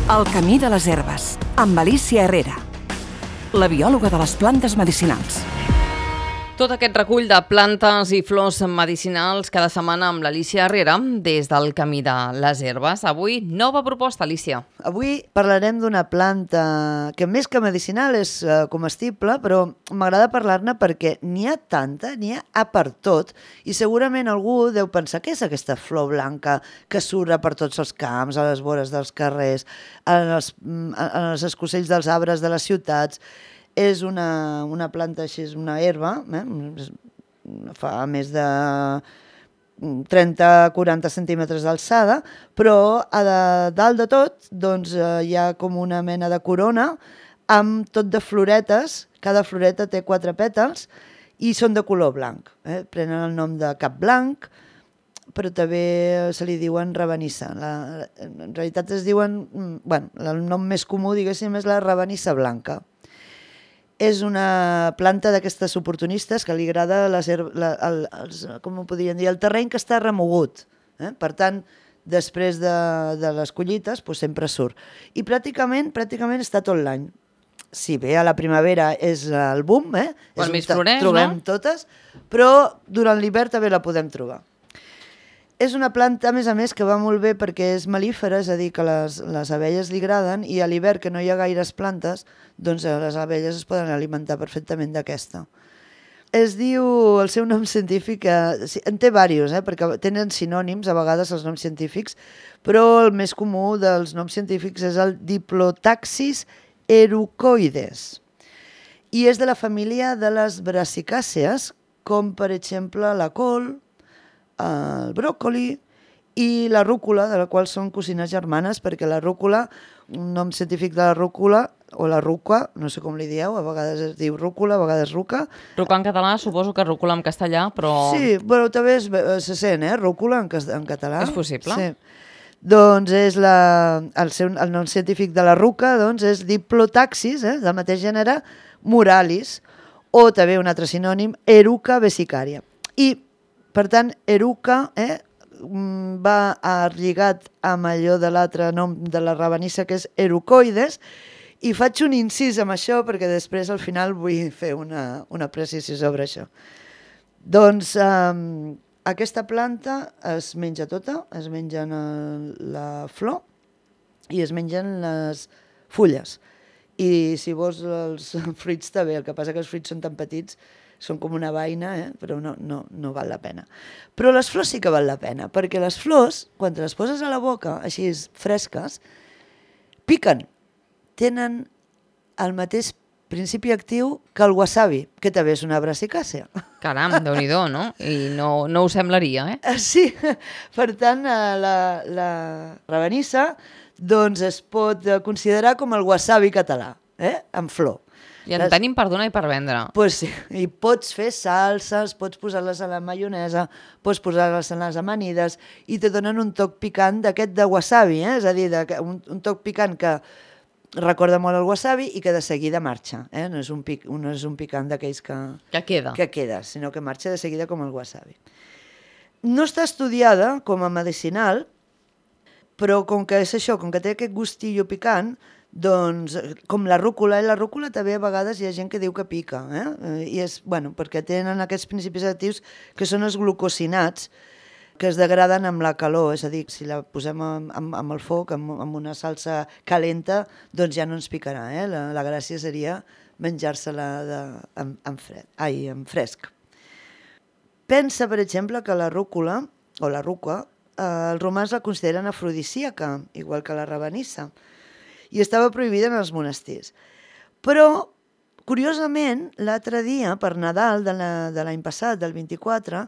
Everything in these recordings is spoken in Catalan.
El camí de les herbes, amb Alicia Herrera, la biòloga de les plantes medicinals. Tot aquest recull de plantes i flors medicinals cada setmana amb l'Alicia Herrera des del camí de les herbes. Avui, nova proposta, Alicia. Avui parlarem d'una planta que més que medicinal és comestible, però m'agrada parlar-ne perquè n'hi ha tanta, n'hi ha per tot, i segurament algú deu pensar què és aquesta flor blanca que surt per tots els camps, a les vores dels carrers, en els escocells dels arbres de les ciutats. És una planta així, és una herba, fa més de 30-40 centímetres d'alçada, però a dalt de tot doncs, hi ha com una mena de corona amb tot de floretes, cada floreta té 4 pètals i són de color blanc. Prenen el nom de cap blanc, però també se li diuen rabanissa. En realitat es diuen, el nom més comú, diguéssim, és la rabanissa blanca. És una planta d'aquestes oportunistes que li agrada com ho podríem dir, el terreny que està remogut. Per tant, després de les collites, doncs sempre surt. I pràcticament està tot l'any. Si bé a la primavera és el boom, quan més floreix, trobem totes, però durant l'hivern també la podem trobar. És una planta, a més, que va molt bé perquè és melífera, és a dir, que les abelles li agraden, i a l'hivern, que no hi ha gaires plantes, doncs les abelles es poden alimentar perfectament d'aquesta. Es diu, el seu nom científic, en té diversos, perquè tenen sinònims, a vegades, els noms científics, però el més comú dels noms científics és el Diplotaxis erucoides. I és de la família de les brasicàcees, com per exemple la col, el bròcoli i la rúcula, de la qual són cosines germanes, perquè la rúcula, un nom científic de la rúcula, o la ruca, no sé com li dieu, a vegades es diu rúcula, a vegades ruca. Ruca en català, suposo que rúcula en castellà, però... Sí, però també se sent, rúcula en català. És possible. Sí. Doncs és el nom científic de la ruca, doncs és Diplotaxis, del mateix gènere, muralis, o també un altre sinònim, Eruca vesicària. I per tant, eruca va lligat amb allò de l'altre nom de la rabanissa, que és erucoides, i faig un incís amb això perquè després al final vull fer una precisió sobre això. Doncs aquesta planta es menja tota, es mengen la flor i es mengen les fulles. I si vols els fruits també, el que passa que els fruits són tan petits, són com una vaina, però no val la pena. Però les flors sí que val la pena, perquè les flors, quan te les poses a la boca, així fresques, piquen. Tenen el mateix principi actiu que el wasabi, que també és una brasicàcea. Caram, Déu-n'hi-do, no? I no ho semblaria, Sí, per tant, la rabanissa doncs es pot considerar com el wasabi català, en flor. I en tenim per donar i per vendre. Pues sí, i pots fer salses, pots posar-les a la maionesa, pots posar-les en les amanides i te donen un toc picant d'aquest de wasabi, és a dir, un toc picant que recorda molt el wasabi i que de seguida marxa. No és un picant d'aquells que queda, sinó que marxa de seguida com el wasabi. No està estudiada com a medicinal, però com que és això, com que té aquest gustillo picant, doncs, com la rúcula, i la rúcula també a vegades hi ha gent que diu que pica, i és, perquè tenen aquests principis actius que són els glucosinats, que es degraden amb la calor, és a dir, si la posem amb el foc, amb una salsa calenta, doncs ja no ens picarà, la gràcia seria menjar-se-la en fresc. Pensa, per exemple, que la rúcula, o la ruca, els romans la consideren afrodisíaca, igual que la rabanissa, i estava prohibida en els monestirs. Però, curiosament, l'altre dia, per Nadal de l'any passat, del 24,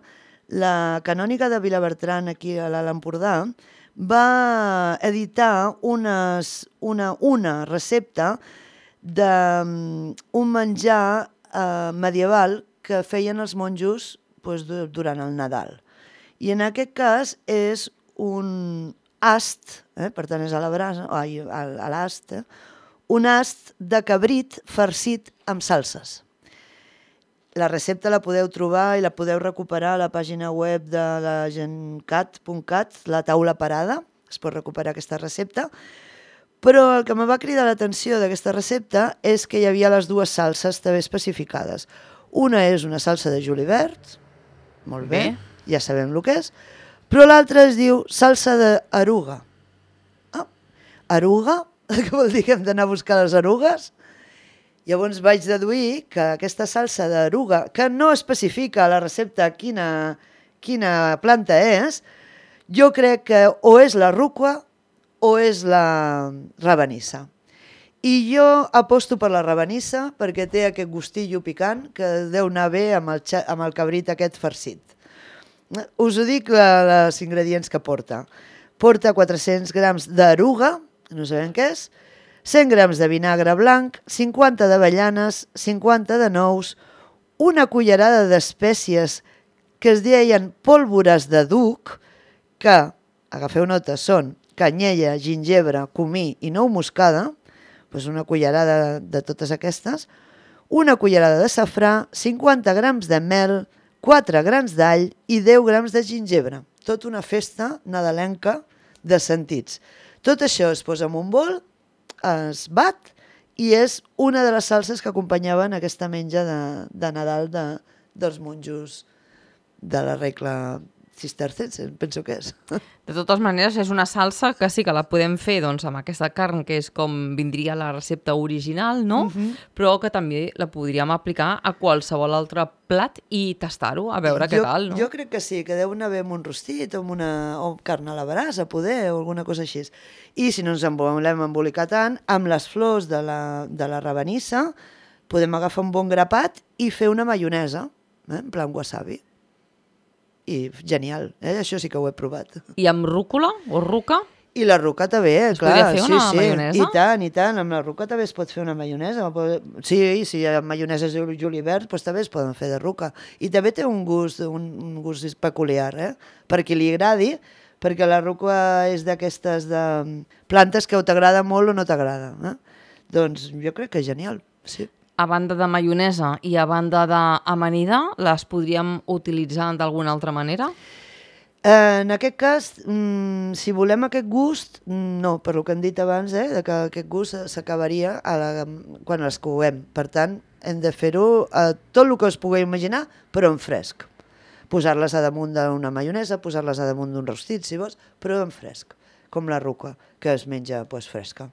la canòniga de Vilabertran, aquí a l'Alt Empordà, va editar una recepta d'un menjar medieval que feien els monjos durant el Nadal. I en aquest cas és un ast, per tant és a l'ast, un ast de cabrit farcit amb salses. La recepta la podeu trobar i la podeu recuperar a la pàgina web de la gencat.cat, la taula parada, es pot recuperar aquesta recepta, Però el que me va cridar l'atenció d'aquesta recepta és que hi havia les dues salses també especificades. Una és una salsa de julivert, molt bé, ja sabem el que és, però l'altra es diu salsa d'eruga. Eruga? Què vol dir que hem d'anar a buscar les erugues? Llavors vaig deduir que aquesta salsa d'eruga, que no especifica a la recepta quina planta és, jo crec que o és la rúcula o és la rabanissa. I jo aposto per la rabanissa perquè té aquest gustillo picant que deu anar bé amb el cabrit aquest farcit. Us ho dic els ingredients que porta. Porta 400 grams d'eruga, no sabem què és, 100 grams de vinagre blanc, 50 d'avellanes, 50 de nous, una cullerada d'espècies que es deien pólvores de duc, que, agafeu nota, són canyella, gingebre, comí i nou moscada, doncs una cullerada de totes aquestes, una cullerada de safrà, 50 grams de mel, 4 grans d'all i 10 grams de gingebre. Tot una festa nadalenca de sentits. Tot això es posa en un bol, es bat i és una de les salses que acompanyaven aquesta menja de Nadal dels monjos de la regla cistercense, penso que és. De totes maneres, és una salsa que sí que la podem fer doncs, amb aquesta carn, que és com vindria la recepta original, no? Però que també la podríem aplicar a qualsevol altre plat i tastar-ho, a veure què tal, no? Jo crec que sí, que deu anar bé amb un rostit o amb carn a la brasa, poder, o alguna cosa així. I si no ens en volem embolicar tant, amb les flors de la rabanissa podem agafar un bon grapat i fer una maionesa, en plan wasabi. I genial, això sí que ho he provat. I amb rúcula o ruca? I la ruca també, clar. Es podria fer una maionesa? I tant, amb la ruca també es pot fer una maionesa. Sí, si hi ha maionesa de julivert, doncs també es poden fer de ruca. I també té un gust peculiar, per qui li agradi, perquè la ruca és d'aquestes plantes que o t'agrada molt o no t'agrada. Doncs jo crec que és genial, sí. A banda de maionesa i a banda d'amanida, les podríem utilitzar d'alguna altra manera? En aquest cas, si volem aquest gust, no, per el que hem dit abans, que aquest gust s'acabaria quan les coguem. Per tant, hem de fer-ho tot el que us pugueu imaginar, però en fresc. Posar-les a damunt d'una maionesa, posar-les a damunt d'un rostit, si vols, però en fresc, com la ruca, que es menja fresca.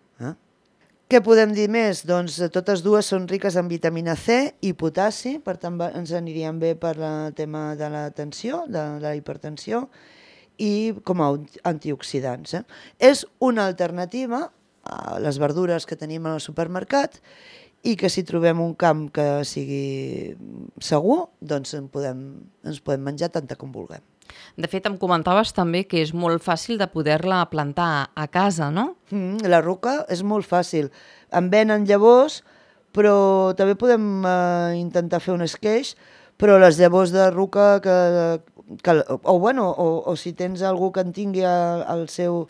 Què podem dir més? Doncs totes dues són riques en vitamina C i potassi, per tant ens anirien bé per el tema de la tensió, de la hipertensió, i com a antioxidants. És una alternativa a les verdures que tenim al supermercat i que si trobem un camp que sigui segur, doncs ens podem menjar tanta com vulguem. De fet, em comentaves també que és molt fàcil de poder-la plantar a casa, no? La ruca és molt fàcil. En venen llavors, però també podem intentar fer un esqueix, però les llavors de ruca o si tens algú que en tingui al seu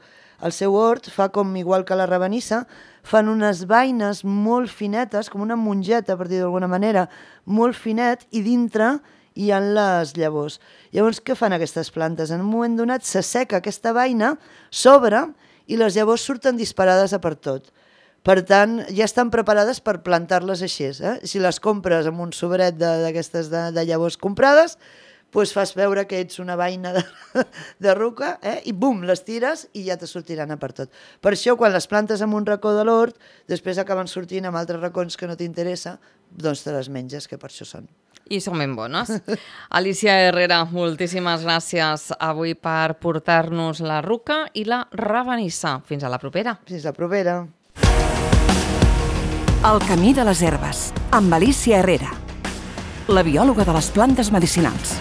hort, fa com igual que la rabanissa, fan unes vaines molt finetes, com una mongeta, per dir d'alguna manera, molt finet, i dintre hi ha les llavors. Llavors, què fan aquestes plantes? En un moment donat s'asseca aquesta vaina, s'obre i les llavors surten disparades a per tot. Per tant, ja estan preparades per plantar-les així. Si les compres amb un sobret d'aquestes de llavors comprades, doncs fas veure que ets una vaina de ruca i bum, les tires i ja te sortiran a per tot. Per això, quan les plantes en un racó de l'hort, després acaben sortint amb altres racons que no t'interessa, doncs te les menges, que per això són. I són ben bones. Alicia Herrera, moltíssimes gràcies avui per portar-nos la ruca i la rabanissa. Fins a la propera. Fins la propera. El camí de les herbes, amb Alicia Herrera, la biòloga de les plantes medicinals.